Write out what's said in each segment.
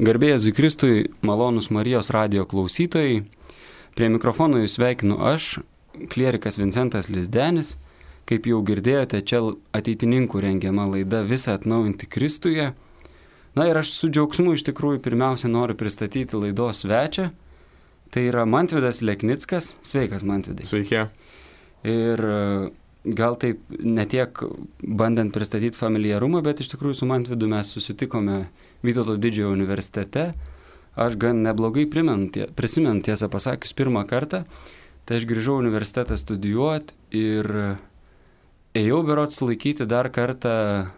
Garbė Jėzui Kristui, malonūs Marijos radijo klausytojai, prie mikrofono jūs sveikinu aš, klierikas Vincentas Lizdenis. Kaip jau girdėjote, čia ateitininkų rengiama laida Visa atnaujinti Kristuje. Na ir aš su džiaugsmu iš tikrųjų pirmiausia noriu pristatyti laidos svečią. Tai yra Mantvydas Leknickas. Sveikas, Mantvidai. Sveiki. Ir gal taip netiek bandant pristatyti familiarumą, bet iš tikrųjų su Mantvydu mes susitikome Vytauto didžiojo universitete. Aš gan neblogai prisimenu, tiesą pasakius, pirmą kartą. Tai aš grįžau universitetą studijuoti ir ėjau berods laikyti dar kartą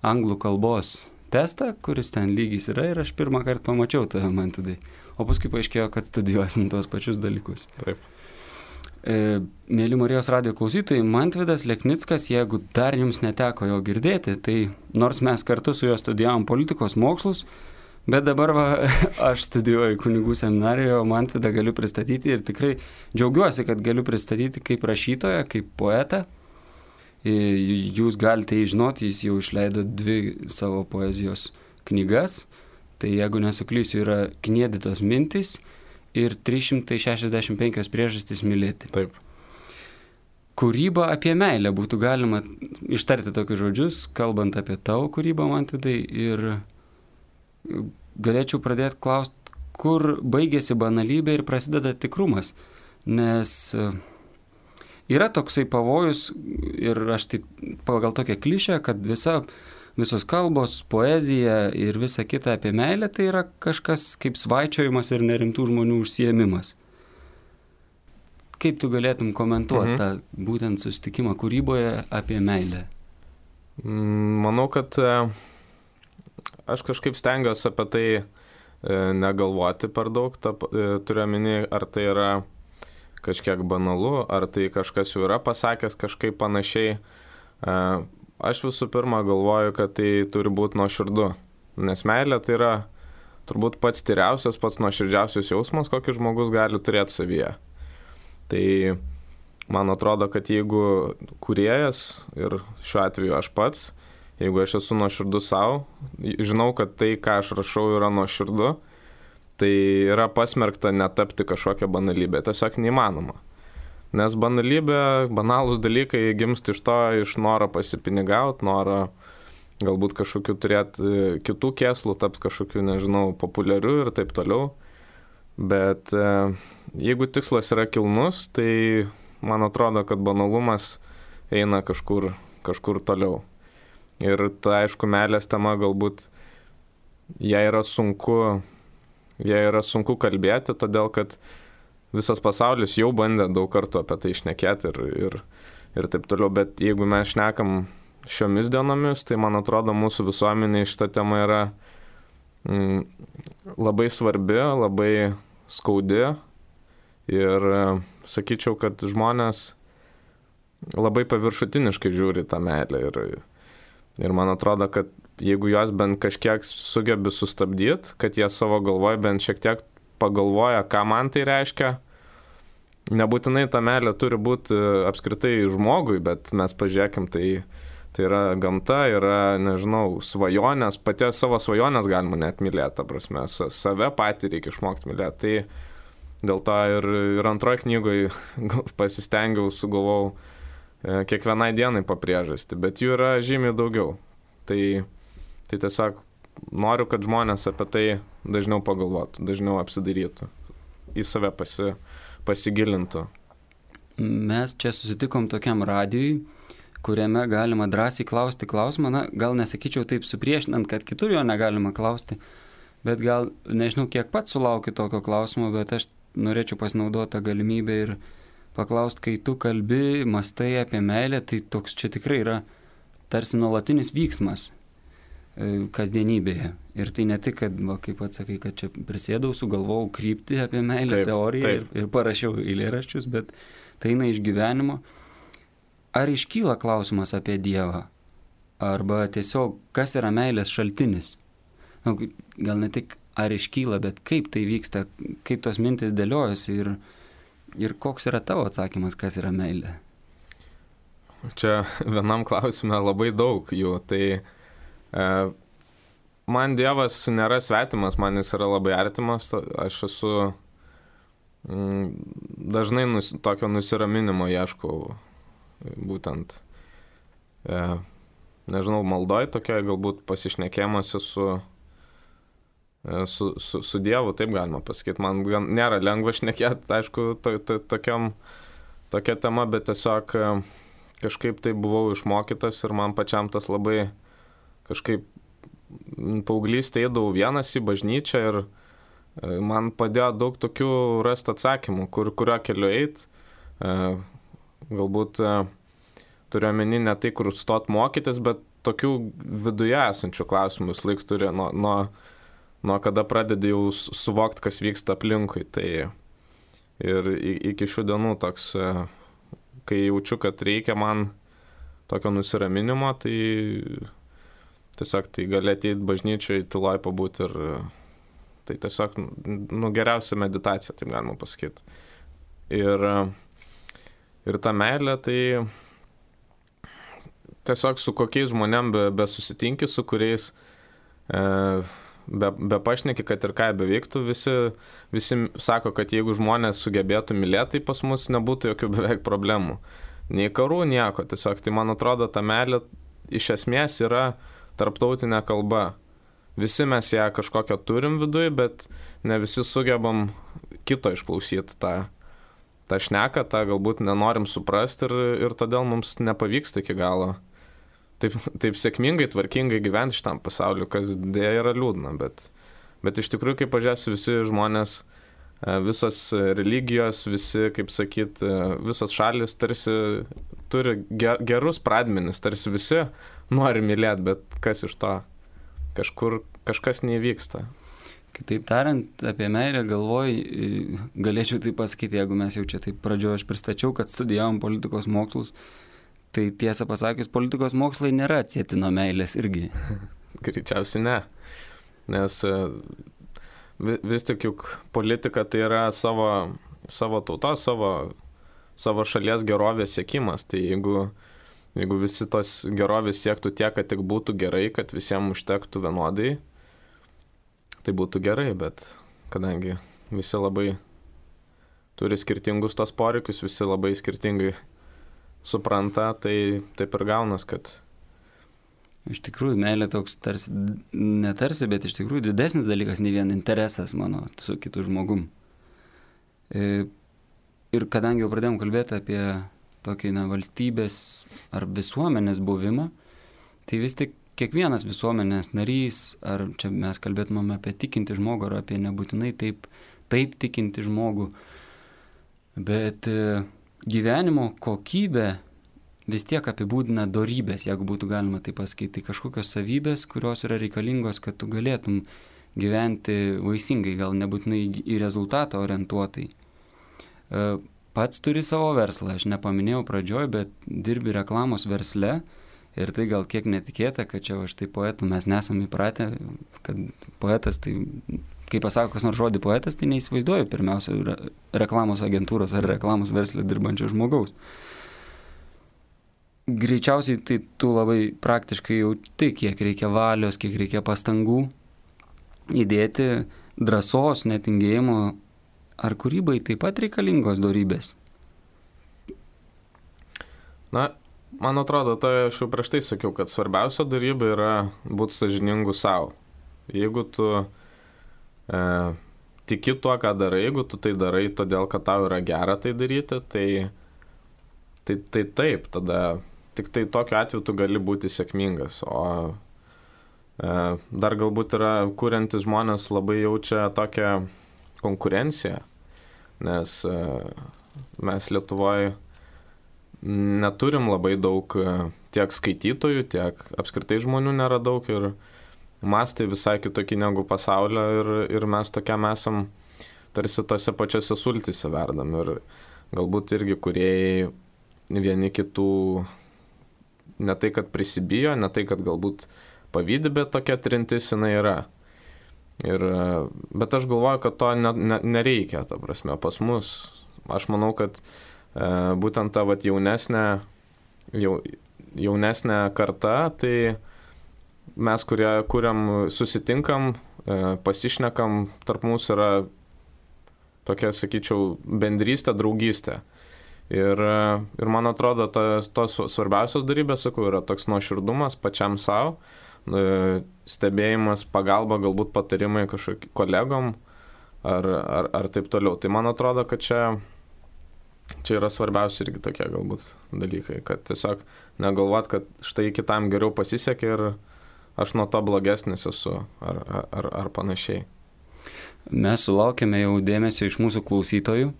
anglų kalbos testą, kuris ten lygis yra, ir aš pirmą kartą pamačiau tave, Mantvidai. O paskui paaiškėjo, kad studijuosim tuos pačius dalykus. Taip. Mėly Marijos radijo klausytojai, Mantvydas Leknickas, jeigu dar jums neteko jo girdėti, tai nors mes kartu su juo studijavom politikos mokslus, bet dabar aš studijuoju kunigų seminarijoje, o Mantvydą galiu pristatyti ir tikrai džiaugiuosi, kad galiu pristatyti kaip rašytoją, kaip poetą. Jūs galite žinoti, jis jau išleido 2 savo poezijos knygas, tai jeigu nesuklysiu, yra Kniedytos mintys ir 365 priežastys mylėti. Taip. Kūryba apie meilę būtų galima ištarti tokius žodžius, kalbant apie tavo kūrybą, Mantvidai, ir galėčiau pradėti klausti, kur baigėsi banalybė ir prasideda tikrumas, nes yra toksai pavojus ir aš taip pagal tokią klišę, kad visos kalbos, poezija ir visa kita apie meilę tai yra kažkas kaip svaičiojimas ir nerimtų žmonių užsiėmimas. Kaip tu galėtum komentuoti tą būtent susitikimą kūryboje apie meilę? Manau, kad aš kažkaip stengiuosi apie tai negalvoti per daug. Turiu omeny, ar tai yra kažkiek banalu, ar tai kažkas jau yra pasakęs kažkaip panašiai. Aš visų pirma galvoju, kad tai turi būti nuoširdu, nes meilė tai yra turbūt pats tyriausias, pats nuoširdžiausias jausmas, kokį žmogus gali turėti savyje. Tai man atrodo, kad jeigu kūrėjas, ir šiuo atveju aš pats, jeigu aš esu nuoširdus savo, žinau, kad tai, ką aš rašau, yra nuoširdu, tai yra pasmerkta netapti kažkokią banalybę, tiesiog neįmanoma. Nes banalūs dalykai gimsta iš noro pasipinigauti, noro galbūt kažkokiu turėti kitų kėslų, tapti kažkokiu, nežinau, populiariu ir taip toliau. Bet jeigu tikslas yra kilnus, tai man atrodo, kad banalumas eina kažkur toliau. Ir ta, aišku, meilės tema galbūt ją yra sunku kalbėti, todėl kad visas pasaulis jau bandė daug kartų apie tai šnekėti ir taip toliau, bet jeigu mes šnekam šiomis dienomis, tai man atrodo mūsų visuomenėje šita tema yra labai svarbi, labai skaudi ir sakyčiau, kad žmonės labai paviršutiniškai žiūri tą meilę ir man atrodo, kad jeigu jos bent kažkiek sugebi sustabdyti, kad jie savo galvoje bent šiek tiek pagalvoja, ką man tai reiškia. Nebūtinai ta meilė turi būti apskritai žmogui, bet mes pažiūrėkim, tai yra gamta, yra, nežinau, svajonės, paties savo svajonės galima net mylėti, ta prasme, save patį reikia išmokti mylėti. Tai dėl to ir antroje knygoje pasistengiau, sugalvojau kiekvienai dienai po priežastį, bet jų yra žymiai daugiau. Tai tiesiog noriu, kad žmonės apie tai dažniau pagalvotų, dažniau apsidairytų, į save pasigilintų. Mes čia susitikom tokiam radijui, kuriame galima drąsiai klausti klausimą, na, gal nesakyčiau taip supriešinant, kad kitur jo negalima klausti, bet gal, nežinau, kiek pats sulaukiu tokio klausimo, bet aš norėčiau pasinaudoti tą galimybę ir paklausti, kai tu kalbi, mastai apie meilę, tai toks čia tikrai yra tarsi nuolatinis vyksmas kasdienybėje. Ir tai ne tik, kad, kaip atsakai, kad čia prisėdau, sugalvojau kryptį apie meilę, teoriją ir parašiau eilėraščius, bet tai eina iš gyvenimo. Ar iškyla klausimas apie Dievą? Arba tiesiog, kas yra meilės šaltinis? Gal ne tik ar iškyla, bet kaip tai vyksta, kaip tos mintis dėliojasi ir koks yra tavo atsakymas, kas yra meilė? Čia vienam klausime labai daug jų, tai man Dievas nėra svetimas, man jis yra labai artimas, aš esu dažnai tokio nusiraminimo ieškau, būtent, nežinau, maldoj tokia, galbūt pasišnekėjimuose su Dievu, taip galima pasakyti. Man nėra lengva šnekėti, aišku, tokia tema, bet tiesiog kažkaip tai buvau išmokytas ir man pačiam tas labai kažkaip paauglystėje eidavau vienas į bažnyčią ir man padėjo daug tokių rasti atsakymų, kurio keliu eit. Galbūt turiu omeny ne tai, kur stot mokytis, bet tokių viduje esančių klausimų vis laik turi nuo kada pradedi jau suvokti, kas vyksta aplinkui. Tai ir iki šių dienų toks, kai jaučiu, kad reikia man tokio nusiraminimo, tai tiesiog tai gali ateiti bažnyčioje, tyloj pabūti ir tai tiesiog geriausia meditacija, taip galima pasakyti. Ir ta meilė, tai tiesiog su kokiais žmonėm besusitinki, su kuriais be pašneki, kad ir ką beveiktų, visi sako, kad jeigu žmonės sugebėtų mylėti, tai pas mus nebūtų jokių beveik problemų. Nei karų, nieko. Tiesiog tai man atrodo, ta meilė iš esmės yra tarptautinė kalba. Visi mes ją kažkokią turim viduje, bet ne visi sugebam kito išklausyti tą šneką, tą galbūt nenorim suprasti ir todėl mums nepavyksta iki galo taip sėkmingai, tvarkingai gyventi šitam pasauliu, kas dėja yra liūdna, bet iš tikrųjų, kaip pažiūrėsi, visi žmonės, visos religijos, visi, kaip sakyt, visos šalis tarsi turi gerus pradmenis, tarsi visi nori mylėti, bet kas iš to? Kažkas neįvyksta. Kitaip tariant, apie meilę galėčiau tai pasakyti, jeigu mes jau čia taip pradžioje aš pristačiau, kad studijavom politikos mokslus, tai tiesą pasakius, politikos mokslai nėra atsieti nuo meilės irgi. Greičiausiai ne, nes vis tik juk politika tai yra savo tautos, savo šalies gerovės siekimas, tai jeigu visi tos gerovės siektų tiek, kad tik būtų gerai, kad visiems užtektų vienodai, tai būtų gerai, bet kadangi visi labai turi skirtingus tos poreikius, visi labai skirtingai supranta, tai taip ir gaunas, kad... Iš tikrųjų, meilė toks netarsi, bet iš tikrųjų didesnis dalykas, ne vien interesas mano su kitu žmogum. Ir kadangi jau pradėjom kalbėti apie tokį valstybės ar visuomenės buvimą, tai vis tik kiekvienas visuomenės narys, ar čia mes kalbėtumėm apie tikinti žmogų, ar apie nebūtinai taip tikinti žmogų, bet gyvenimo kokybė vis tiek apibūdina dorybės, jeigu būtų galima tai pasakyti, tai kažkokios savybės, kurios yra reikalingos, kad tu galėtum gyventi vaisingai, gal nebūtinai į rezultatą orientuotai. Pats turi savo verslą, aš nepaminėjau pradžioj, bet dirbi reklamos versle ir tai gal kiek netikėta, kad čia štai poetų mes nesam įpratę, kad poetas, tai kai pasako kas nors žodį poetas, tai neįsivaizduoju pirmiausia reklamos agentūros ar reklamos verslė dirbančio žmogaus. Greičiausiai tai tu labai praktiškai jauti, kiek reikia valios, kiek reikia pastangų įdėti, drąsos, netingėjimo, ar kūrybai taip pat reikalingos dorybės? Na, man atrodo, tai aš jau prieš tai sakiau, kad svarbiausia dorybė yra būti sąžiningu savo. Jeigu tu tiki tuo, ką darai, jeigu tu tai darai todėl, kad tau yra gera tai daryti, tai taip, tada tik tai tokiu atveju tu gali būti sėkmingas. O dar galbūt yra kuriantis žmonės labai jaučia tokią konkurenciją, nes mes Lietuvoje neturim labai daug tiek skaitytojų, tiek apskritai žmonių nėra daug ir mastai visai kitokie negu pasaulio ir mes tokiam esam tarsi tose pačiose sultyse verdam ir galbūt irgi kūrėjai vieni kitų ne tai, kad prisibijo, ne tai, kad galbūt pavydi, bet tokia trintis jinai yra. Bet aš galvoju, kad to nereikia, ta prasme, pas mus. Aš manau, kad būtent ta jaunesnė karta, tai mes, kurie kuriam, susitinkam, pasišnekam, tarp mūsų yra tokia, sakyčiau, bendrystė, draugystė. Ir man atrodo, tos svarbiausios darybės, sakau, yra toks nuoširdumas pačiam savo, stebėjimas, pagalba, galbūt patarimai kažkokiam kolegom ar taip toliau. Tai man atrodo, kad čia yra svarbiausia irgi tokie galbūt dalykai, kad tiesiog negalvot, kad štai kitam geriau pasisekė ir aš nuo to blogesnis esu ar panašiai. Mes sulaukėme jau dėmesio iš mūsų klausytojų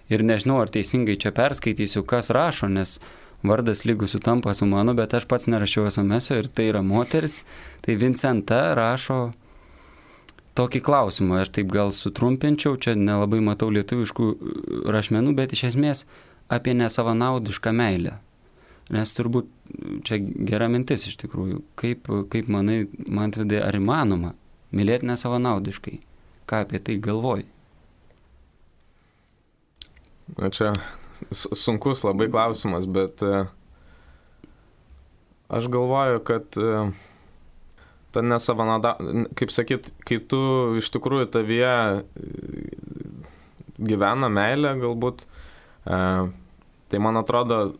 ir nežinau, ar teisingai čia perskaitysiu, kas rašo, nes vardas lygus sutampa su mano, bet aš pats nerašiau SMS-o ir tai yra moteris. Tai Vincenta rašo tokį klausimą, aš taip gal sutrumpinčiau, čia nelabai matau lietuviškų rašmenų, bet iš esmės apie nesavanaudišką meilę. Nes turbūt čia gera mintis iš tikrųjų. Kaip manai, Mantvidai, ar įmanoma mylėti nesavanaudiškai? Ką apie tai galvoji? Na čia sunkus labai klausimas, bet aš galvoju, kad ta nesavanauda, kaip sakyt, kai tu iš tikrųjų tavyje gyvena meilė galbūt, tai man atrodo,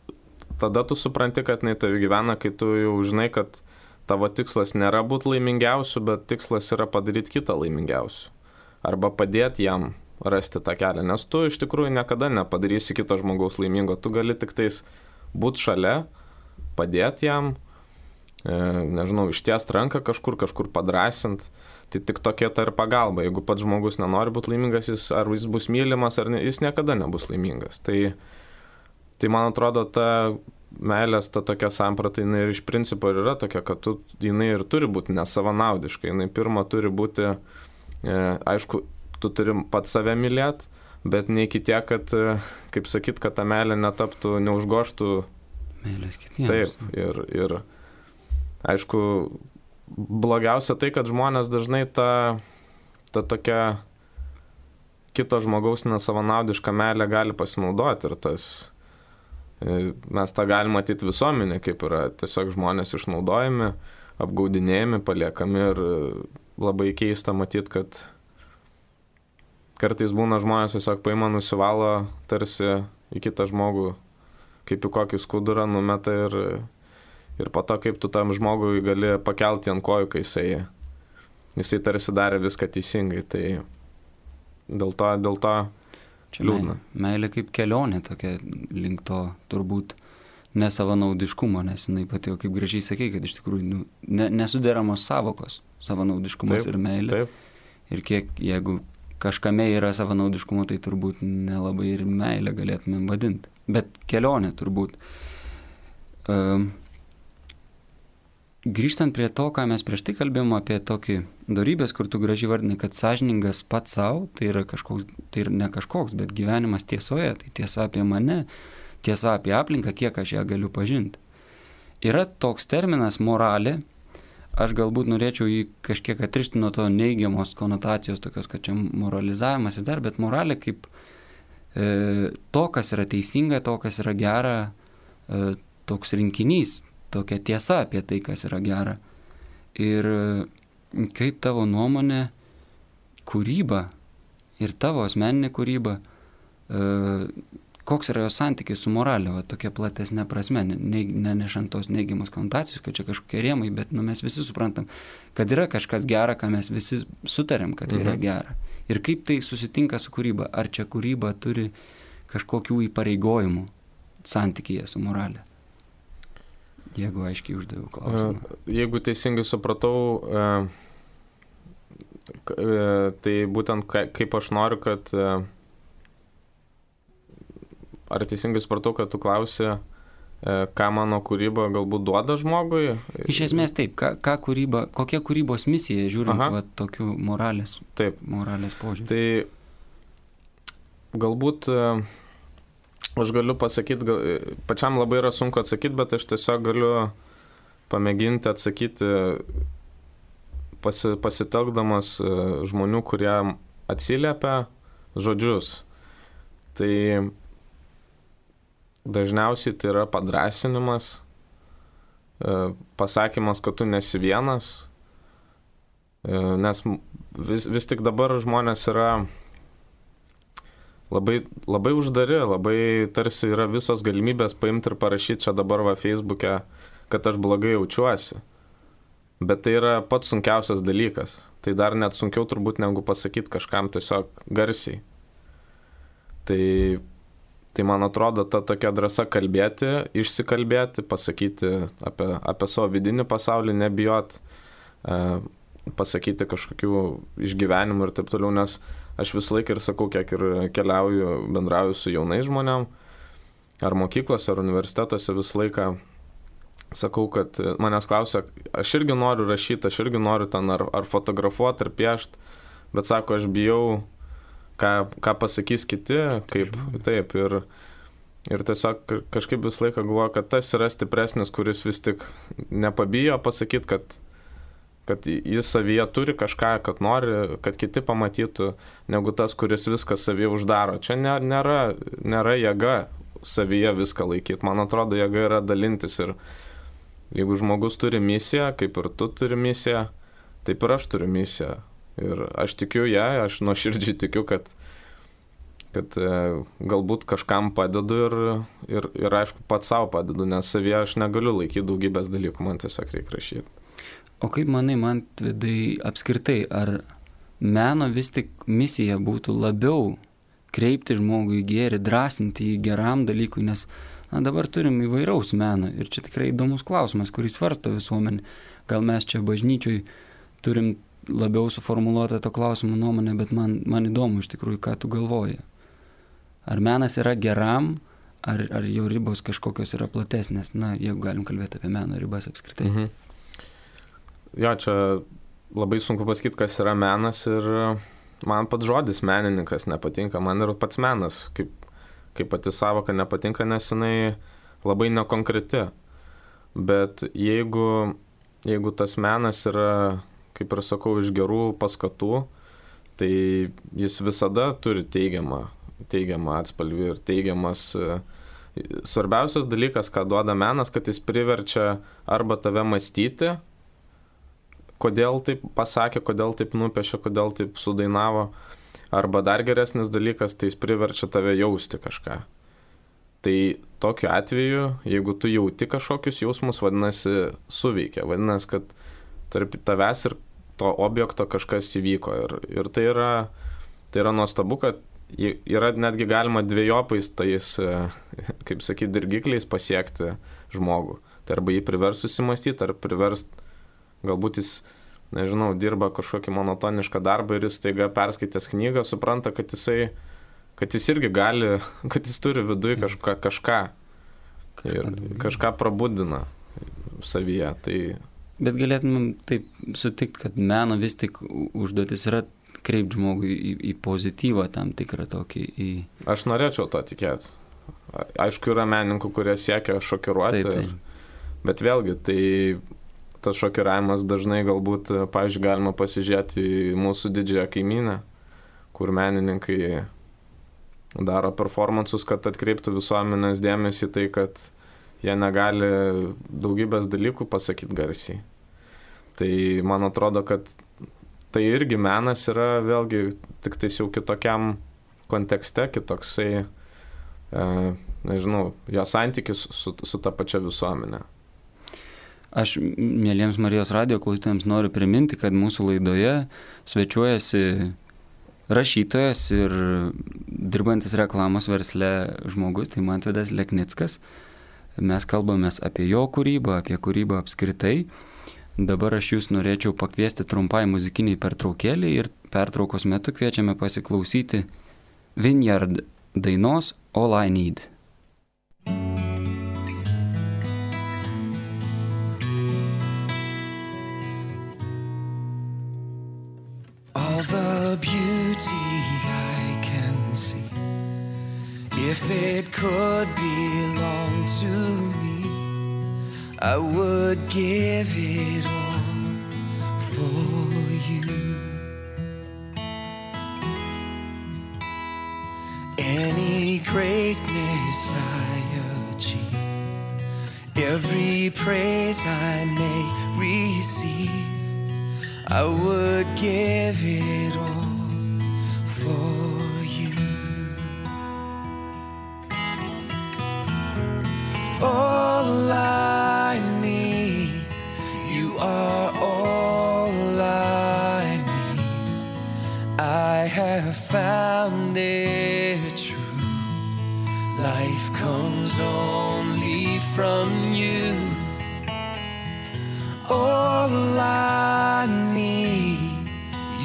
tada tu supranti, kad jinai tavi gyvena, kai tu jau žinai, kad tavo tikslas nėra būti laimingiausiu, bet tikslas yra padaryti kitą laimingiausiu. Arba padėti jam rasti tą kelią, nes tu iš tikrųjų niekada nepadarysi kito žmogaus laimingo, tu gali tik tais būti šalia, padėti jam, nežinau, ištiest ranką kažkur padrąsint, tai tik tokia ta ir pagalba. Jeigu pats žmogus nenori būti laimingas, ar jis bus mylimas, ar ne, jis niekada nebus laimingas. Tai man atrodo, ta meilės, ta tokia samprata, jinai ir iš principo yra tokia, kad jinai ir turi būti nesavanaudiška, jinai pirma turi būti, aišku, tu turi pats save mylėti, bet ne iki tiek, kad, kaip sakyt, kad ta meilė netaptų, neužgoštų meilės kitiems. Taip, ir aišku, blogiausia tai, kad žmonės dažnai ta tokia kito žmogaus nesavanaudišką meilę gali pasinaudoti ir mes tą galim matyti visuomenė, kaip yra tiesiog žmonės išnaudojami, apgaudinėjami, paliekami ir labai keista matyti, kad kartais būna žmonės tiesiog paima, nusivalo tarsi į kitą žmogų, kaip į kokį skudurą numeta ir po to, kaip tu tam žmogui gali pakelti ant kojų, kai jisai tarsi darė viską teisingai. Tai dėl to čia liūdna. Meilė kaip kelionė tokia link to turbūt nesavanaudiškumo, nes jinai patiko, kaip gražiai sakei, kad iš tikrųjų nesuderamos savokos, savanaudiškumas ir meilė. Taip. Ir kiek, jeigu kažkame yra savanaudiškumo, tai turbūt nelabai ir meilę galėtumėm vadinti. Bet kelionė turbūt. Grįžtant prie to, ką mes prieš tai kalbėjome apie tokį dorybės, kur tu gražiai vardinai, kad sąžiningas pats savo, tai yra kažkoks, tai ne kažkoks, bet gyvenimas tiesoje, tai tiesa apie mane, tiesa apie aplinką, kiek aš ją galiu pažinti. Yra toks terminas moralė, aš galbūt norėčiau jį kažkiek atrišti nuo to neigiamos konotacijos, tokios, kad čia moralizavimas ir dar, bet moralė kaip to, kas yra teisinga, to, kas yra gera, toks rinkinys, tokia tiesa apie tai, kas yra gera. Ir kaip tavo nuomonė, kūryba ir tavo asmeninė kūryba, koks yra jos santykis su moralė, va, tokia platesnė prasme, nenešant tos neigiamos konotacijos, kad čia kažkokie rėmai, bet mes visi suprantam, kad yra kažkas gera, ką mes visi sutarėm, kad yra gera. Ir kaip tai susitinka su kūryba? Ar čia kūryba turi kažkokių įpareigojimų santykyje su moralė? Jeigu aiškiai uždaviau klausimą. Jeigu teisingai supratau, tai būtent kaip aš noriu, kad... Ar teisingai supratau, kad tu klausi, ką mano kūryba galbūt duoda žmogui? Iš esmės taip, kokia kūrybos misija, žiūrint va, tokių moralės požiūrį. Tai galbūt... Aš galiu pasakyti, pačiam labai yra sunku atsakyti, bet aš tiesiog galiu pamėginti atsakyti pasitelkdamas žmonių, kurie atsiliepia žodžius. Tai dažniausiai tai yra padrąsinimas, pasakymas, kad tu nesi vienas, nes vis tik dabar žmonės yra labai uždari, labai tarsi yra visos galimybės paimti ir parašyti čia dabar Facebook'e, kad aš blogai jaučiuosi. Bet tai yra pats sunkiausias dalykas. Tai dar net sunkiau turbūt negu pasakyti kažkam tiesiog garsiai. Tai man atrodo, ta tokia drąsa kalbėti, išsikalbėti, pasakyti apie savo vidinį pasaulį, nebijot, pasakyti kažkokių išgyvenimų ir taip toliau, nes aš visą laiką ir sakau, kiek ir keliauju, bendrauju su jaunais žmonėm, ar mokyklose, ar universitetuose visą laiką sakau, kad manęs klausia, aš irgi noriu rašyti, aš irgi noriu ten ar fotografuoti, ar piešti, bet sako, aš bijau, ką pasakys kiti, kaip taip. Ir tiesiog kažkaip visą laiką galvoju, kad tas yra stipresnis, kuris vis tik nepabijo pasakyti, kad jis savyje turi kažką, kad nori, kad kiti pamatytų, negu tas, kuris viską savyje uždaro. Čia nėra jėga savyje viską laikyti. Man atrodo, jėga yra dalintis ir jeigu žmogus turi misiją, kaip ir tu turi misiją, taip ir aš turiu misiją. Ir aš tikiu ją, aš nuoširdžiai tikiu, kad galbūt kažkam padedu ir aišku pats savo padedu, nes savyje aš negaliu laikyti daugybės dalykų, man tiesiog reikia rašyti. O kaip manai, Mantvidai, apskritai, ar meno vis tik misija būtų labiau kreipti žmogų į gėrį, drąsinti jį geram dalykui, nes dabar turim įvairaus meno ir čia tikrai įdomus klausimas, kurį svarsto visuomenė. Gal mes čia bažnyčioj turim labiau suformuluotą to klausimo nuomonę, bet man įdomu iš tikrųjų, ką tu galvoji. Ar menas yra geram, ar jo ribos kažkokios yra platesnės? Jeigu galim kalbėti apie meno ribas apskritai. Jo, čia labai sunku pasakyti, kas yra menas ir man pats žodis menininkas nepatinka, man ir pats menas, kaip pati savoka nepatinka, nes jinai labai nekonkreti. Bet jeigu tas menas yra, kaip ir sakau, iš gerų paskatų, tai jis visada turi teigiamą atspalvį ir teigiamas. Svarbiausias dalykas, ką duoda menas, kad jis priverčia arba tave mąstyti, kodėl taip pasakė, kodėl taip nupiešė, kodėl taip sudainavo, arba dar geresnis dalykas, tai jis priverčia tave jausti kažką. Tai tokiu atveju, jeigu tu jauti kažkokius jausmus, vadinasi, suveikia, vadinasi, kad tarp tavęs ir to objekto kažkas įvyko. Ir tai yra nuostabu, kad yra netgi galima dviejopais tais, kaip sakyti, dirgikliais pasiekti žmogų. Tai arba jį privers susimastyti, ar privers, galbūt jis, nežinau, dirba kažkokį monotonišką darbą ir jis staiga perskaitęs knygą supranta, kad jis irgi gali, kad jis turi viduje kažką ir kažką prabudina savyje. Tai bet galėtumėm taip sutikti, kad meno vis tik užduotis yra kreipti žmogui į pozityvą tam tikrą tokį Aš norėčiau to tikėti. Aišku, yra menininkų, kurie siekia šokiruoti, taip. Bet vėlgi, tai tas šokiravimas dažnai galbūt, pavyzdžiui, galima pasižiūrėti į mūsų didžiąją kaimynę, kur menininkai daro performansus, kad atkreiptų visuomenės dėmesį tai, kad jie negali daugybės dalykų pasakyti garsiai. Tai man atrodo, kad tai irgi menas yra vėlgi tik tais jau kitokiam kontekste, kitoksai, nežinau, jo santykis su ta pačia visuomenė. Aš, mėlyjams Marijos radijo klausytojams, noriu priminti, kad mūsų laidoje svečiuojasi rašytojas ir dirbantis reklamos versle žmogus, tai Mantvidas Leknickas. Mes kalbamės apie jo kūrybą, apie kūrybą apskritai. Dabar aš jūs norėčiau pakviesti trumpai muzikiniai pertraukėlį ir pertraukos metu kviečiame pasiklausyti Vineyard dainos All I Need. All the beauty I can see, if it could belong to me, I would give it all for you. Any greatness I achieve, every every praise I may receive, I would give it all for you. All I need, you are all I need. I have found it true. Life comes only from you. All I need,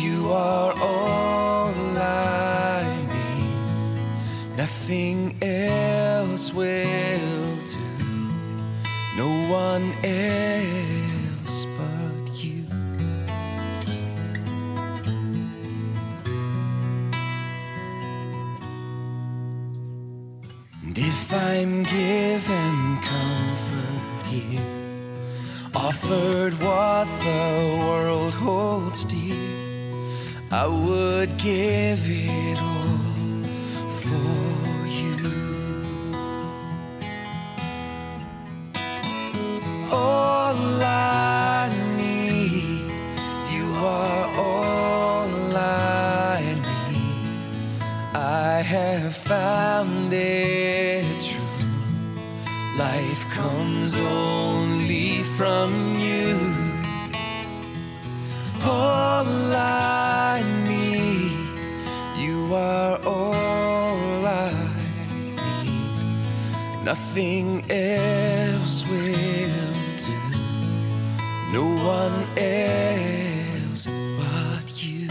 you are all I need. Nothing else will do, no one else but you. And if I'm given comfort here, offered what the world holds dear, I would give it all for you. All I need, you are all I need. I have found it true. Life comes only from you. All I need, you are all I need. Nothing else will do, no one else but you.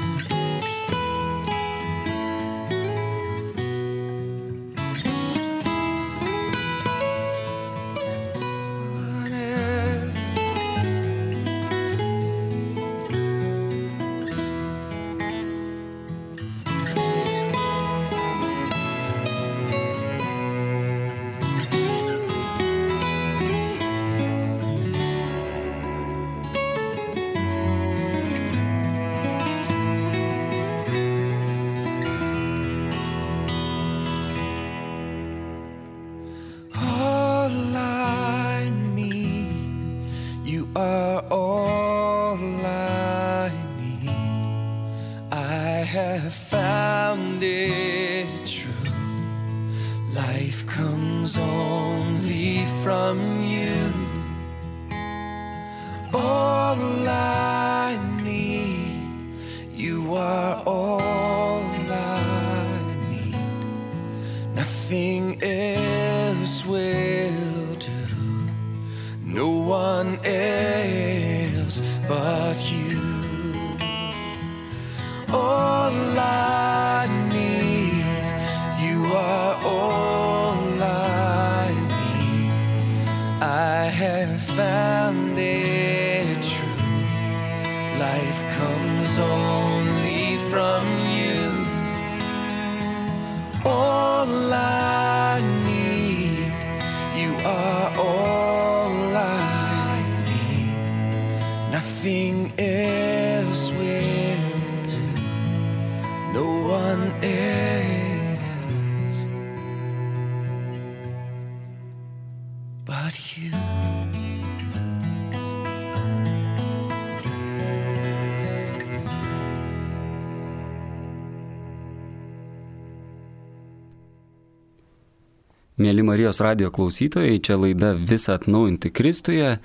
Mėly Marijos radijo klausytojai, čia laida Visa atnaujinti Kristuje.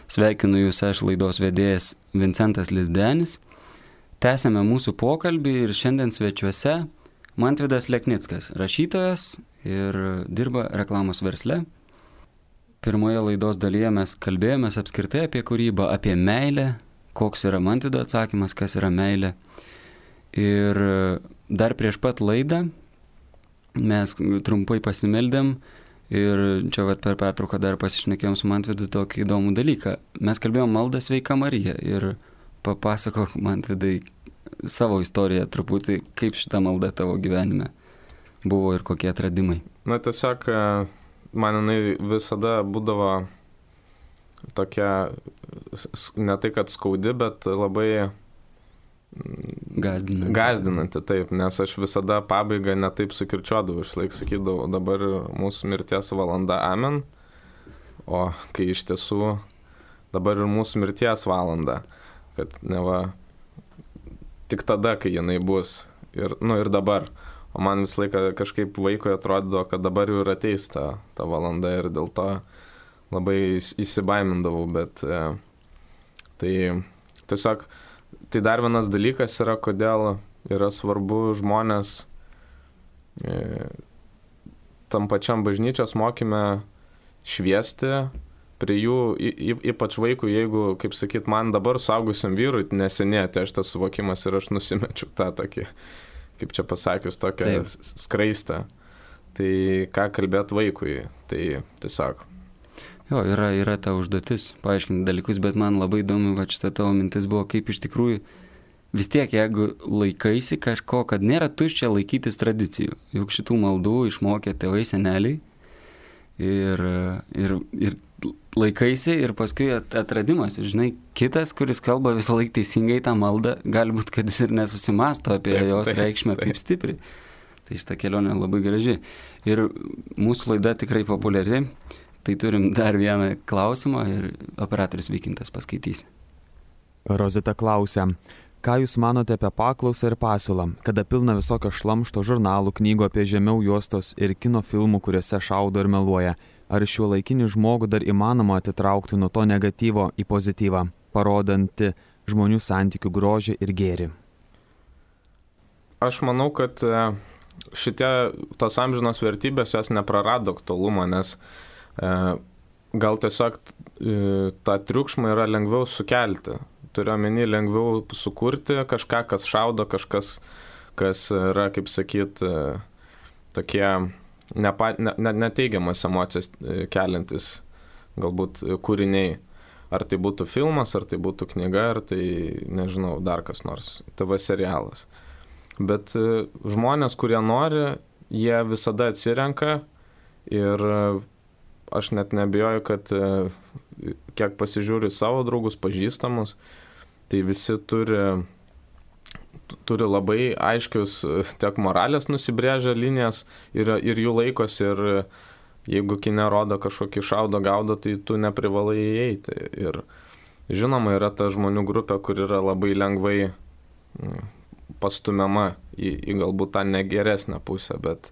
Sveikinu Jūs, aš laidos vedėjas Vincentas Lizdenis. Tęsėme mūsų pokalbį ir šiandien svečiuose Mantvydas Leknickas, rašytojas ir dirba reklamos versle. Pirmoje laidos dalyje mes kalbėjomės apskritai apie kūrybą, apie meilę, koks yra Mantvydo atsakymas, kas yra meilė. Ir dar prieš pat laidą mes trumpai pasimeldėm ir čia per pertrauką dar pasišnekėjom su Mantvydu tokį įdomų dalyką. Mes kalbėjom maldą Sveika Marija ir papasakok, Mantvydai, savo istoriją truputį, kaip šita malda tavo gyvenime buvo ir kokie atradimai. Na tiesiog man jinai visada būdavo tokia, ne tai kad skaudi, bet labai Gazdinanti, taip, nes aš visada pabaigą netaip sukirčiuodavau, išlaik sakydavau, dabar mūsų mirties valanda, amen, o kai iš tiesų dabar ir mūsų mirties valanda, kad neva tik tada, kai jinai bus ir dabar. O man visą laiką kažkaip vaikui atrodo, kad dabar jau ir ateis ta valanda ir dėl to labai įsibaimindavau, bet tai tiesiog, tai dar vienas dalykas yra, kodėl yra svarbu žmonės tam pačiam bažnyčios mokyme šviesti prie jų, ypač vaikų, jeigu, kaip sakyt, man dabar suaugusiam vyrui neseniai atėjo šitas suvokimas ir aš nusimečiau tą tokį, kaip čia pasakius, tokią skraistę. Tai ką kalbėt vaikui, tai tiesiog. Jo, yra ta užduotis paaiškinti dalykus, bet man labai įdomu, va šitą tavo mintis buvo, kaip iš tikrųjų vis tiek, jeigu laikaisi kažko, kad nėra tuščia laikytis tradicijų, juk šitų maldų išmokė tėvai, seneliai ir laikaisi ir paskui atradimas. Žinai, kitas, kuris kalba visą laiką teisingai tą maldą, galbūt, kad jis ir nesusimasto apie jos reikšmę taip stipriai. Tai šitą kelionę labai graži. Ir mūsų laida tikrai populiari. Tai turim dar vieną klausimą ir operatorius Vykintas paskaitys. Rozita klausia, ką Jūs manote apie paklausą ir pasiūlą, kada pilna visokio šlamšto žurnalų, knygų apie žemiau juostos ir kino filmų, kuriuose šaudo ir meluoja? Ar šiuolaikinį žmogų dar įmanoma atitraukti nuo to negatyvo į pozityvą, parodanti žmonių santykių grožį ir gėrį? Aš manau, kad tos amžinos vertybės jos neprarado aktualumo, nes gal tiesiog tą triukšmą yra lengviau sukelti. Turiu omeny lengviau sukurti kažką, kas šaudo, kažkas, kas yra, kaip sakyt, tokie neteigiamas emocijas keliantis galbūt kūriniai. Ar tai būtų filmas, ar tai būtų knyga, ar tai, nežinau, dar kas nors, TV serialas. Bet žmonės, kurie nori, jie visada atsirenka ir aš net nebijoju, kad kiek pasižiūriu savo draugus, pažįstamus, tai visi turi labai aiškius tiek moralės nusibrėžę linijas ir jų laikos, ir jeigu kine rodo kažkokį šaudo gaudo, tai tu neprivalai įeiti. Ir žinoma, yra ta žmonių grupė, kur yra labai lengvai pastumiama į galbūt tą negeresnę pusę, bet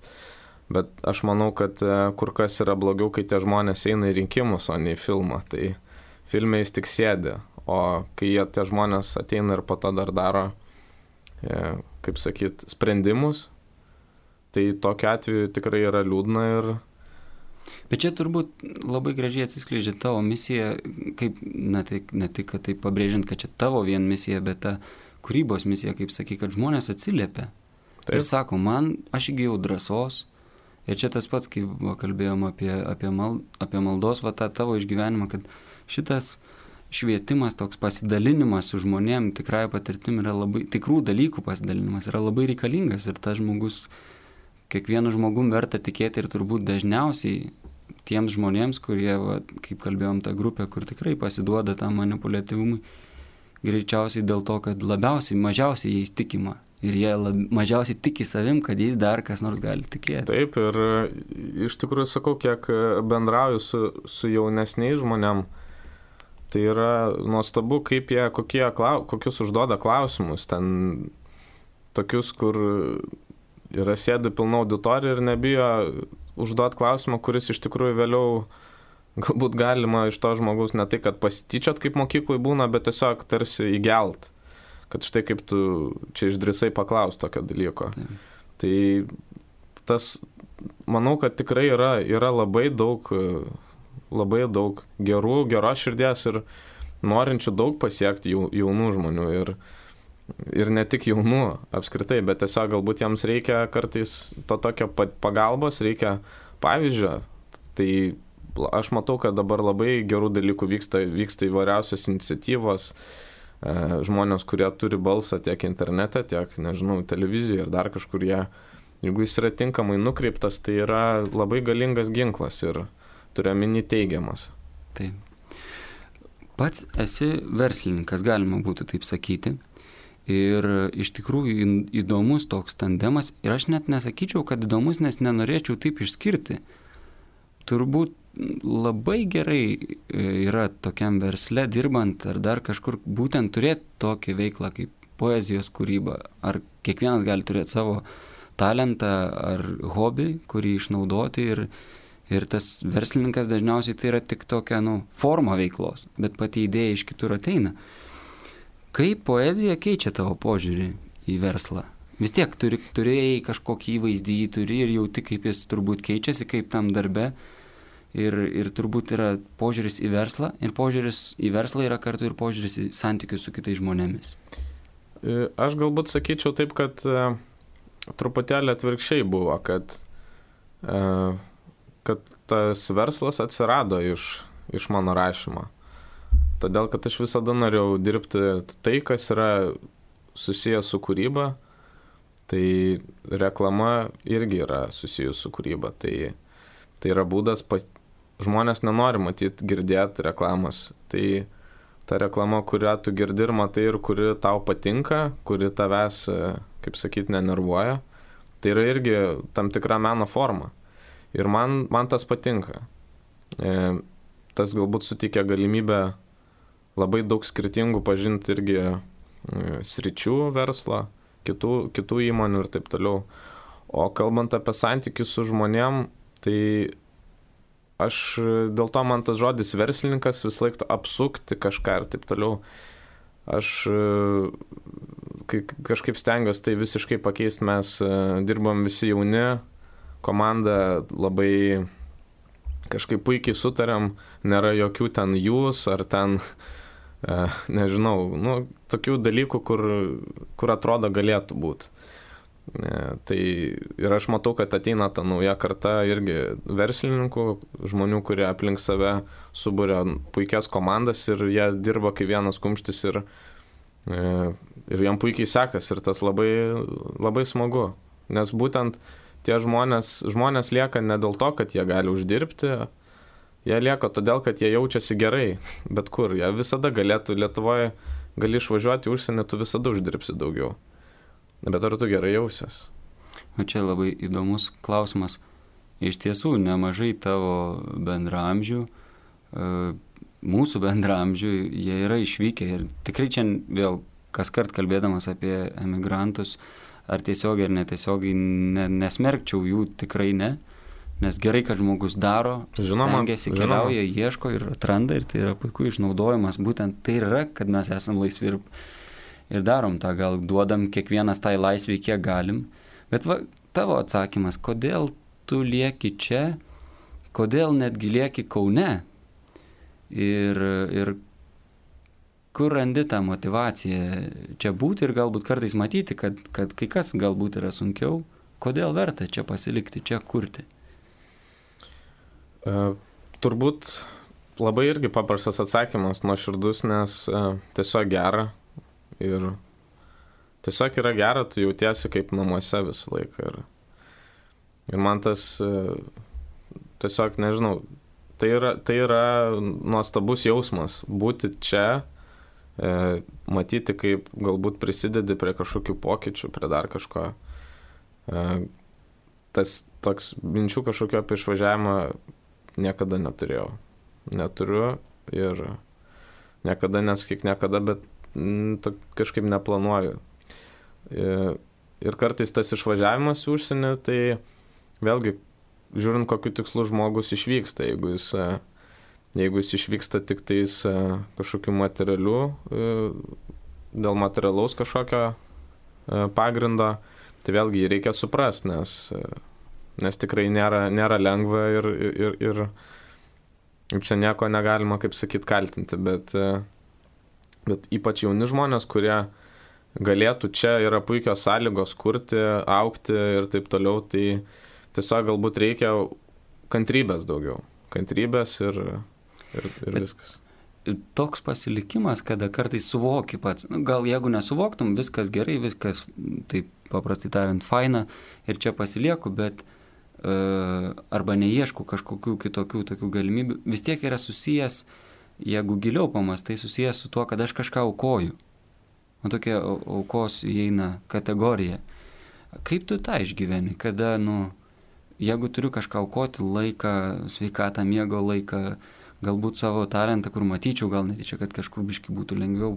aš manau, kad kur kas yra blogiau, kai tie žmonės eina į rinkimus, o ne į filmą. Tai filme jis tik sėdi, o kai tie žmonės ateina ir po to dar daro, kaip sakyt, sprendimus, tai tokiu atveju tikrai yra liūdna ir... Bet čia turbūt labai gražiai atsiskleidžia tavo misija, kaip, ne tik, kad tai pabrėžiant, kad čia tavo vien misija, bet ta kūrybos misija, kaip sakai, kad žmonės atsiliepia. Taip. Ir sako, aš įgijau drąsos, ir čia tas pats, kaip kalbėjom apie maldos, tą tavo išgyvenimą, kad šitas švietimas, toks pasidalinimas su žmonėm, tikrai patirtim yra labai, tikrų dalykų pasidalinimas yra labai reikalingas ir tas žmogus, kiekvienu žmogum verta tikėti ir turbūt dažniausiai tiems žmonėms, kurie, kaip kalbėjom, ta grupė, kur tikrai pasiduoda tam manipuliatyvumui, greičiausiai dėl to, kad mažiausiai jais tikima ir jie mažiausiai tiki savim, kad jais dar kas nors gali tikėti. Taip, ir iš tikrųjų sakau, kiek bendrauju su jaunesniais žmonėm, tai yra nuostabu, kaip jie, kokius užduoda klausimus. Ten tokius, kur yra sėdi pilna auditorija ir nebijo užduoti klausimą, kuris iš tikrųjų vėliau galbūt galima iš to žmogaus ne tai, kad pasityčiot, kaip mokyklai būna, bet tiesiog tarsi įgelt. Kad štai kaip tu čia išdrįsai paklausti tokio dalyko. Tai tas, manau, kad tikrai yra labai daug geros širdies ir norinčių daug pasiekti jaunų žmonių ir ne tik jaunų apskritai, bet tiesiog galbūt jiems reikia kartais to tokio pagalbos, reikia pavyzdžio. Tai aš matau, kad dabar labai gerų dalykų vyksta įvairiausios iniciatyvos, žmonės, kurie turi balsą tiek internete, tiek, nežinau, televizijoje ir dar kažkur jeigu jis yra tinkamai nukreiptas, tai yra labai galingas ginklas ir turiu omeny teigiamas. Taip. Pats esi verslininkas, galima būtų taip sakyti. Ir iš tikrųjų įdomus toks tandemas. Ir aš net nesakyčiau, kad įdomus, nes nenorėčiau taip išskirti. turbūt labai gerai yra tokiam versle dirbant ar dar kažkur būtent turėti tokią veiklą kaip poezijos kūryba. Ar kiekvienas gali turėti savo talentą ar hobį, kurį išnaudoti ir tas verslininkas dažniausiai tai yra tik tokia forma veiklos, bet pati idėja iš kitur ateina. Kaip poezija keičia tavo požiūrį į verslą? Vis tiek turėjai kažkokį įvaizdį, turi ir jauti, kaip jis turbūt keičiasi, kaip tam darbe. Ir turbūt yra požiūris į verslą, ir požiūris į verslą yra kartu ir požiūris į santykius su kitais žmonėmis. Aš galbūt sakyčiau taip, kad truputėlį atvirkščiai buvo, kad tas verslas atsirado iš mano rašymo. Todėl, kad aš visada norėjau dirbti tai, kas yra susijęs su kūryba, tai reklama irgi yra susijęs su kūryba. Tai yra būdas, žmonės nenori matyti, girdėti reklamos. Tai ta reklama, kurią tu girdi ir matai ir kuri tau patinka, kuri tavęs, kaip sakyti, nenervuoja, tai yra irgi tam tikra meno forma. Ir man tas patinka. Tas galbūt suteikia galimybę labai daug skirtingų pažinti irgi sričių verslo, kitų įmonių ir taip toliau. O kalbant apie santykius su žmonėm, tai aš dėl to man tas žodis verslininkas vis laik apsukti kažką ir taip toliau. Aš kažkaip stengiuosi tai visiškai pakeisti, mes dirbam visi jauni, komanda labai kažkaip puikiai sutariam, nėra jokių ten jūs ar ten, nežinau, tokių dalykų, kur atrodo galėtų būti. Tai ir aš matau, kad ateina ta nauja karta irgi verslininkų, žmonių, kurie aplink save suburia puikias komandas ir jie dirba kaip vienas kumštis ir jiem puikiai sekas ir tas labai, labai smagu. Nes būtent tie žmonės lieka ne dėl to, kad jie gali uždirbti, jie lieka todėl, kad jie jaučiasi gerai, bet kur. Jie visada galėtų, Lietuvoje gali išvažiuoti į užsienį, tu visada uždirbsi daugiau. Bet ar tu gerai jausies? O čia labai įdomus klausimas. Iš tiesų, nemažai tavo bendraamžių, mūsų bendraamžių, jie yra išvykę ir tikrai čia vėl kaskart kalbėdamas apie emigrantus, ar tiesiogiai ar netiesiogiai nesmerkčiau jų, tikrai ne, nes gerai, kad žmogus daro, stengiasi, keliauja, ieško ir atranda ir tai yra puiku išnaudojimas, būtent tai yra, kad mes esam laisvi ir darom tą, gal duodam kiekvienas tai laisvį, kiek galim, bet tavo atsakymas, kodėl tu lieki čia, kodėl netgi lieki Kaune ir kur randi tą motyvaciją čia būti ir galbūt kartais matyti, kad kai kas galbūt yra sunkiau, kodėl verta čia pasilikti, čia kurti? Turbūt labai irgi paprastas atsakymas, nuoširdus, nes tiesiog gera ir tiesiog yra gera, tu jautiesi kaip namuose visą laiką ir man tas tiesiog, nežinau, tai yra nuostabus jausmas būti čia, matyti, kaip galbūt prisidedi prie kažkokių pokyčių, prie dar kažko. Tas toks minčių kažkokio apie išvažiavimą niekada neturėjau. Neturiu ir niekada, nesakyk niekada, bet kažkaip neplanuoju. Ir kartais tas išvažiavimas į užsienį, tai vėlgi, žiūrint, kokiu tikslu žmogus išvyksta, jeigu jis išvyksta tik tais kažkokiu materialiu, dėl materialaus kažkokio pagrindo, tai vėlgi jį reikia suprasti, nes tikrai nėra lengva ir čia nieko negalima, kaip sakyt, kaltinti, bet ypač jauni žmonės, kurie galėtų, čia yra puikios sąlygos kurti, augti ir taip toliau, tai tiesiog galbūt reikia kantrybės daugiau. Kantrybės ir viskas. Toks pasilikimas, kada kartais suvoki pats, gal jeigu nesuvoktum, viskas gerai, viskas, taip paprastai tariant, faina ir čia pasilieku, bet arba neieškau kažkokių kitokių tokių galimybių, vis tiek yra susijęs, jeigu giliau pamastai, susijęs su tuo, kad aš kažką aukoju. O tokia aukos įeina kategorija. Kaip tu tą išgyveni, kada, jeigu turiu kažką aukoti, laiką, sveikatą, miego laiką, galbūt savo talentą, kur matyčiau, gal netyčia, kad kažkur biškai būtų lengviau,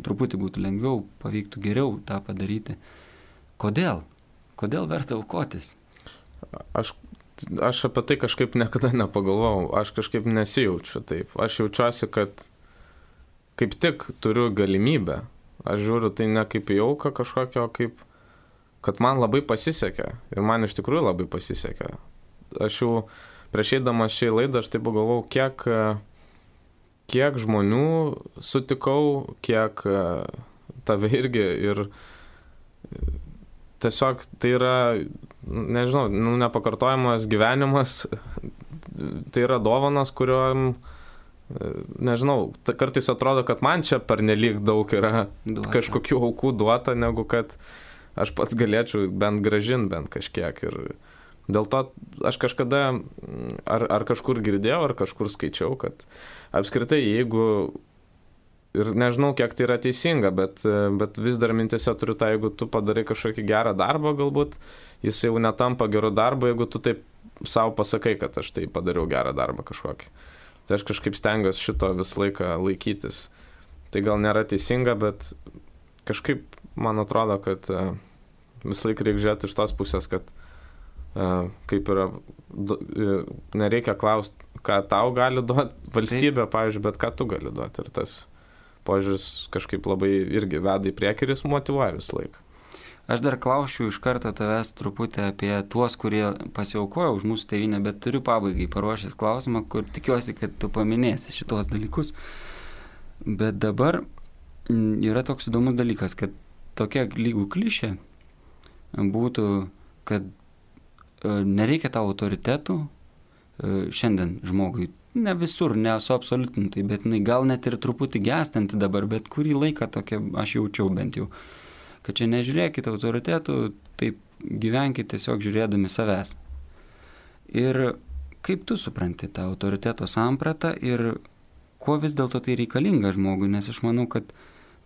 truputį būtų lengviau, pavyktų geriau tą padaryti. Kodėl? Kodėl verta aukotis? Aš apie tai kažkaip niekada nepagalvojau, aš kažkaip nesijaučiu taip. Aš jaučiuosi, kad kaip tik turiu galimybę. Aš žiūriu tai ne kaip į auką kažkokio, kaip kad man labai pasisekė. Ir man iš tikrųjų labai pasisekė. Aš jau prieš eidamas šiai laidą, aš taip pagalvojau, kiek žmonių sutikau, kiek tave irgi ir tiesiog tai yra, nežinau, nepakartojamas gyvenimas, tai yra dovanas, kuriuom, nežinau, kartais atrodo, kad man čia pernelyg daug yra kažkokių aukų duota, negu kad aš pats galėčiau bent gražinti bent kažkiek. Ir dėl to aš kažkada ar kažkur girdėjau, ar kažkur skaičiau, kad apskritai, jeigu, ir nežinau, kiek tai yra teisinga, bet vis dar mintise turiu tą, jeigu tu padarai kažkokį gerą darbą, galbūt jis jau netampa geru darbu, jeigu tu taip savo pasakai, kad aš tai padariau gerą darbą kažkokį. Tai aš kažkaip stengiuosi šito visą laiką laikytis. Tai gal nėra teisinga, bet kažkaip man atrodo, kad visą laiką reikia žiūrėti iš tos pusės, kad kaip yra, nereikia klausti, ką tau gali duoti valstybė, pavyzdžiui, bet ką tu gali duoti. Ir tas požiūris kažkaip labai irgi veda į priekį ir jis motyvuoja visą laiką. Aš dar klausčiau iš karto tavęs truputį apie tuos, kurie pasiaukojo už mūsų tėvynę, bet turiu pabaigai paruošęs klausimą, kur tikiuosi, kad tu paminėsi šitos dalykus. Bet dabar yra toks įdomus dalykas, kad tokia lygų klišė būtų, kad nereikia tau autoritetų šiandien žmogui. Ne visur, nesuabsoliutintai, bet gal net ir truputį gęstanti dabar, bet kurį laiką tokia aš jaučiau bent jau. Kad čia nežiūrėkit autoritetų, taip gyvenkit tiesiog žiūrėdami savęs. Ir kaip tu supranti tą autoriteto sampratą ir kuo vis dėlto tai reikalinga žmogui, nes aš manau, kad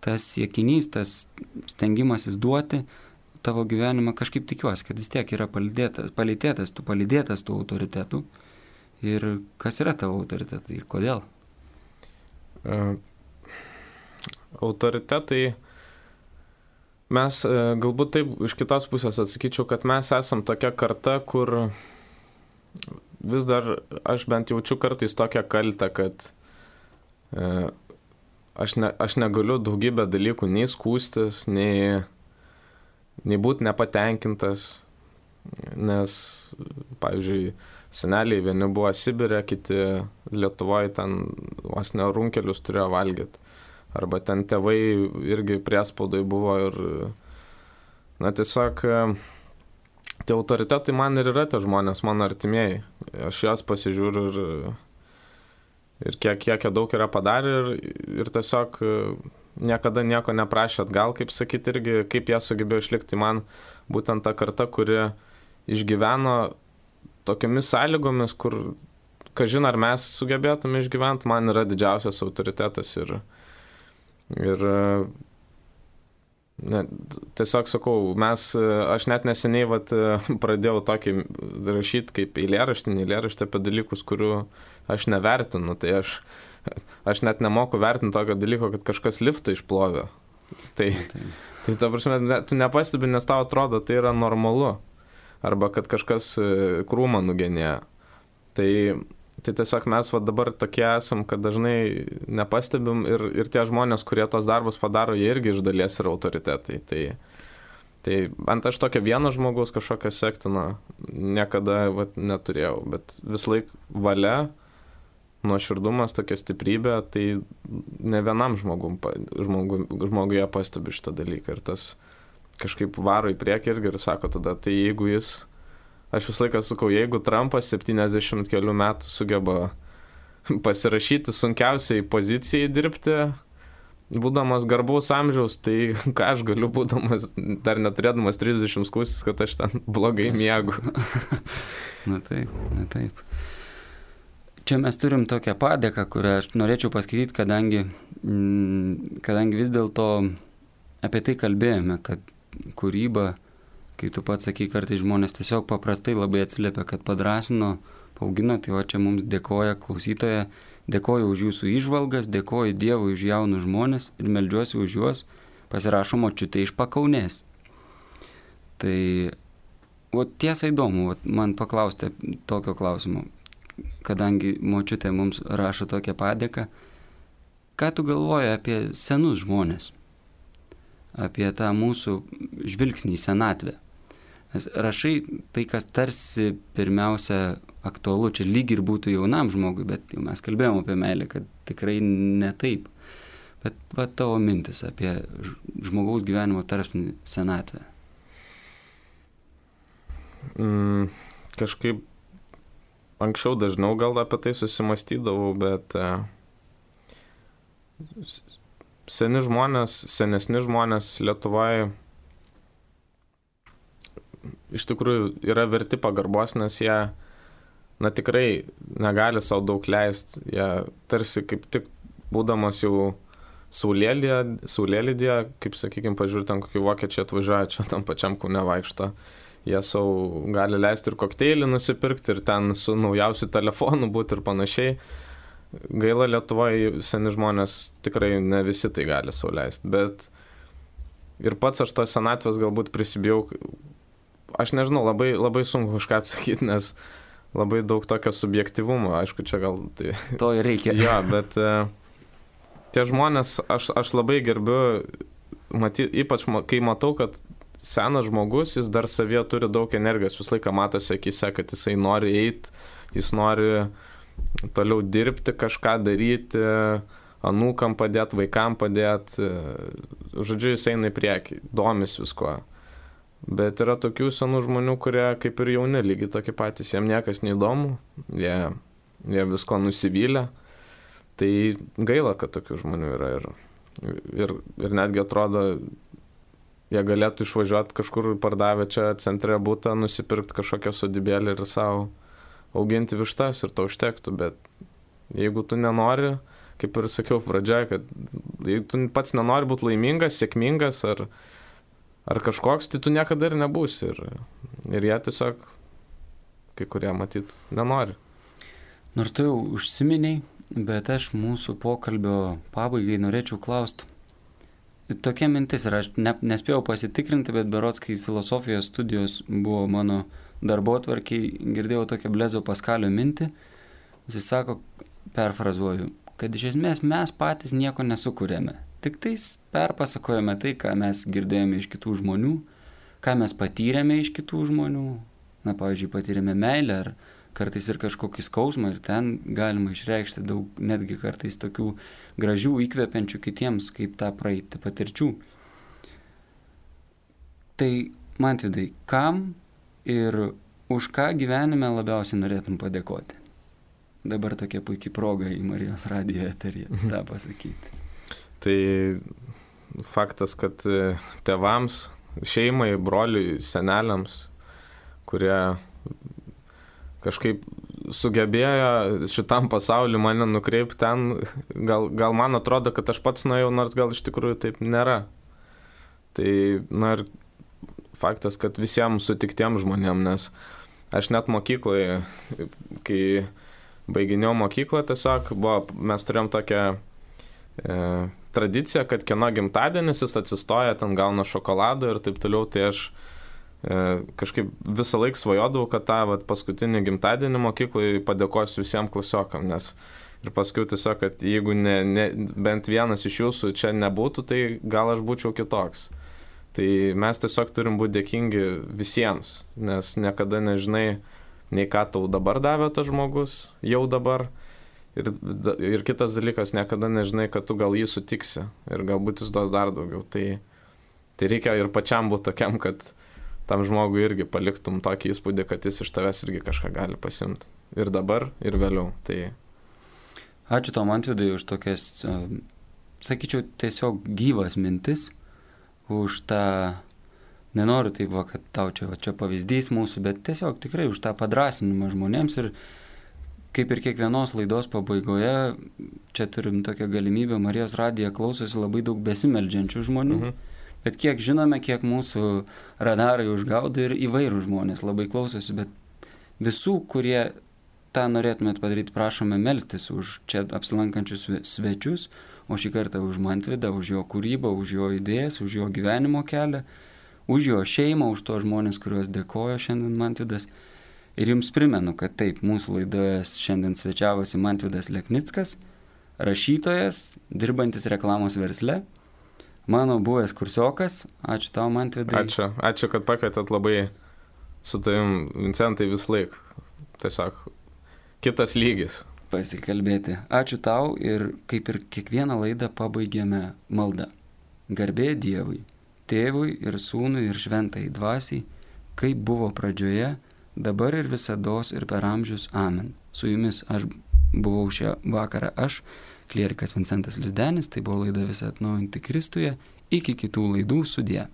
tas siekinys, tas stengimasis duoti tavo gyvenimą, kažkaip tikiuosi, kad vis tiek yra palydėtas tų autoritetų. Ir kas yra tavo autoritetai ir kodėl? Autoritetai, mes galbūt taip iš kitos pusės atsakyčiau, kad mes esam tokia karta, kur vis dar aš bent jaučiu kartais tokią kaltę, kad aš negaliu daugybę dalykų nei skųstis, nei būti nepatenkintas, nes, pavyzdžiui, seneliai vieni buvo Sibire, kiti Lietuvoje ten vos ne runkelius turėjo valgyti. Arba ten tėvai irgi priespaudai buvo ir, tiesiog tie autoritetai man ir yra tie žmonės, mano artimieji. Aš juos pasižiūriu ir kiek daug yra padarę ir tiesiog niekada nieko neprašė atgal, kaip sakyti, irgi kaip jie sugebėjo išlikti. Man būtent ta karta, kuri išgyveno tokiamis sąlygomis, kur, kažin ar mes sugebėtume išgyventi, man yra didžiausias autoritetas ir tiesiog sakau, aš net neseniai pradėjau tokį rašyti kaip eilėraštį apie dalykus, kurių aš nevertinu, tai aš net nemoku vertinti tokio dalyko, kad kažkas liftą išplovė. Tai ta prasme, tu nepastebi, nes tau atrodo, tai yra normalu. Arba kad kažkas krūmą nugenėjo. Tai tiesiog mes dabar tokie esam, kad dažnai nepastebim ir tie žmonės, kurie tos darbus padaro, jie irgi iš dalies yra autoritetai. Tai ant aš tokio vieno žmogaus kažkokio sektino niekada neturėjau, bet vis laik valia, nuoširdumas, tokia stiprybė, tai ne vienam žmoguje pastebi šitą dalyką. Ir tas kažkaip varo į priekį irgi ir sako tada, tai jeigu aš visą laiką sakau, jeigu Trumpas 70 kelių metų sugeba pasirašyti sunkiausiai pozicijai dirbti, būdamas garbaus amžiaus, tai ką aš galiu būdamas, dar neturėdamas 30 skūstis, kad aš ten blogai miegu. Na taip. Čia mes turim tokią padėką, kurią aš norėčiau paskaityti, kadangi vis dėlto apie tai kalbėjome, kad kūryba kai tu pats sakai, kartais žmonės tiesiog paprastai labai atsiliepia, kad padrąsino, paaugino, tai čia mums dėkoja klausytoja, dėkoju už jūsų įžvalgas, dėkoju Dievui už jaunus žmonės ir meldžiuosi už juos, pasirašo močiutė iš Pakaunės. Tai tiesa įdomu, man paklausti tokio klausimo, kadangi močiutė mums rašo tokią padėką, ką tu galvoji apie senus žmonės, apie tą mūsų žvilgsnį į senatvę? Nes rašai tai, kas tarsi pirmiausia aktualu, čia lyg ir būtų jaunam žmogui, bet jau mes kalbėjom apie meilę, kad tikrai ne taip. Bet va tavo mintis apie žmogaus gyvenimo tarpsnį senatvę. Kažkaip anksčiau dažniau gal apie tai susimastydavau, bet senesni žmonės Lietuvoje iš tikrųjų yra verti pagarbos, nes jie, tikrai negali savo daug leisti. Jie tarsi kaip tik būdamas jau saulėlydyje, kaip sakykime, pažiūrėt, ten kokį vokiečiai atvažiuoja, čia tam pačiam Kaune vaikšto. Jie savo gali leisti ir kokteilį nusipirkti, ir ten su naujausiu telefonu būti ir panašiai. Gaila, Lietuvoje seni žmonės tikrai ne visi tai gali sau leisti, bet ir pats aš to senatvės galbūt prisibijau. Aš nežinau, labai sunku kažką atsakyti, nes labai daug tokio subjektyvumo, aišku, čia gal tai... To ir reikia. Jo, bet tie žmonės, aš labai gerbiu, ypač kai matau, kad senas žmogus, jis dar savyje turi daug energijos, visą laiką matosi akise, kad jisai nori eiti, jis nori toliau dirbti, kažką daryti, anūkam padėti, vaikam padėti, žodžiu, jis eina į priekį, domis visko. Bet yra tokių senų žmonių, kurie kaip ir jauni lygiai tokie patys, jiem niekas neįdomu, jie visko nusivylę. Tai gaila, kad tokių žmonių yra ir netgi atrodo, jie galėtų išvažiuoti kažkur pardavę čia centre būtą, nusipirkti kažkokią sodybėlį ir savo auginti vištas ir to užtektų, bet jeigu tu nenori, kaip ir sakiau pradžioje, kad jeigu tu pats nenori būti laimingas, sėkmingas ar kažkoks, tai tu niekada ir nebūsi. Ir jie tiesiog, kai kurie matyt, nenori. Nors tu jau užsiminiai, bet aš mūsų pokalbio pabaigai norėčiau klausti. Tokia mintis, ir aš nespėjau pasitikrinti, bet berods, kai filosofijos studijos buvo mano darbotvarkiai, girdėjau tokią Blezo Paskalio mintį. Jis sako, perfrazuoju, kad iš esmės mes patys nieko nesukūrėme. Tik tais perpasakojame tai, ką mes girdėjome iš kitų žmonių, ką mes patyrėme iš kitų žmonių. Na, pavyzdžiui, patyrėme meilę ar kartais ir kažkokį skausmą ir ten galima išreikšti daug, netgi kartais tokių gražių, įkvepiančių kitiems, kaip tą praeiti patirčių. Tai, Mantvydai, kam ir už ką gyvenime labiausiai norėtum padėkoti? Dabar tokia puikia proga į Marijos radijo eterį tą pasakyti. Tai faktas, kad tėvams, šeimai, broliui, seneliams, kurie kažkaip sugebėjo šitam pasauliu mane nukreipti ten, gal man atrodo, kad aš pats nuėjau, nors gal iš tikrųjų taip nėra. Tai, ir faktas, kad visiems sutiktiems žmonėms, nes aš net mokykloje, kai baiginėjau mokyklą, tiesiog mes turėjom tokią tradicija, kad kieno gimtadienis jis atsistoja, ten gauna šokolado ir taip toliau, tai aš kažkaip visą laiką svajodavau, kad tą paskutinį gimtadienį mokyklai padėkosiu visiems klasiokam, nes ir paskui tiesiog, kad jeigu bent vienas iš jūsų čia nebūtų, tai gal aš būčiau kitoks. Tai mes tiesiog turim būti dėkingi visiems, nes niekada nežinai, nei ką tau dabar davė tas žmogus, jau dabar. Ir kitas dalykas, niekada nežinai, kad tu gal jį sutiksi ir galbūt jis duos dar daugiau. Tai reikia ir pačiam būti tokiam, kad tam žmogui irgi paliktum tokį įspūdį, kad jis iš tavęs irgi kažką gali pasimti. Ir dabar, ir vėliau. Tai... Ačiū tau, Mantvydai, už tokias, sakyčiau, tiesiog gyvas mintis, už tą, nenoriu taip, kad tau čia pavyzdys mūsų, bet tiesiog tikrai už tą padrąsinimą žmonėms ir kaip ir kiekvienos laidos pabaigoje, čia turim tokią galimybę, Marijos radiją klausosi labai daug besimeldžiančių žmonių. Bet kiek žinome, kiek mūsų radarai užgaudo ir įvairių žmonės labai klausosi, bet visų, kurie tą norėtumėt padaryti, prašome melstis už čia apsilankančius svečius, o šį kartą už Mantvydą, už jo kūrybą, už jo idėjas, už jo gyvenimo kelią, už jo šeimą, už tos žmonės, kuriuos dėkojo šiandien Mantvydas. Ir jums primenu, kad taip, mūsų laidoje šiandien svečiavosi Mantvydas Leknickas, rašytojas, dirbantis reklamos versle, mano buvęs kursiokas. Ačiū tau, Mantvidai. Ačiū, kad pakvietėt, labai su tavim, Vincentai, vis laik. Tiesiog kitas lygis. Pasikalbėti. Ačiū tau ir kaip ir kiekvieną laidą pabaigėme maldą. Garbė Dievui, Tėvui ir Sūnui ir Šventai Dvasiai, kaip buvo pradžioje, dabar ir visados ir per amžius. Amen. Su jumis aš buvau šią vakarą klierikas Vincentas Lizdenis, tai buvo laida Visa atnaujinti Kristuje. Iki kitų laidų, sudie.